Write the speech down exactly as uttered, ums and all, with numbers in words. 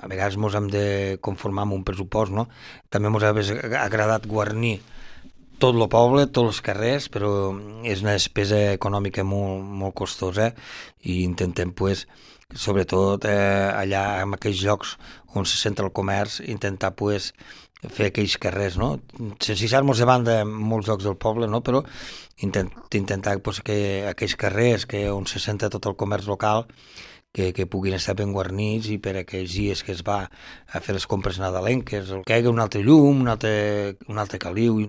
a vegades ens hem de conformar amb un pressupost, no? També ens ha agradat guarnir tot el poble, tots els carrers, però és una despesa econòmica molt, molt costosa i intentem, pues, sobretot eh, allà en aquells llocs on se centra el comerç, intentar pues, fer aquells carrers, no? Sense deixar-nos de banda en molts llocs del poble, no? Però intent, intentar pues, que aquells carrers que on se centra tot el comerç local que, que puguin estar ben guarnits i per aquells dies que es va a fer les compres nadalenques, que hi hagi un altre llum, un altre, un altre caliu,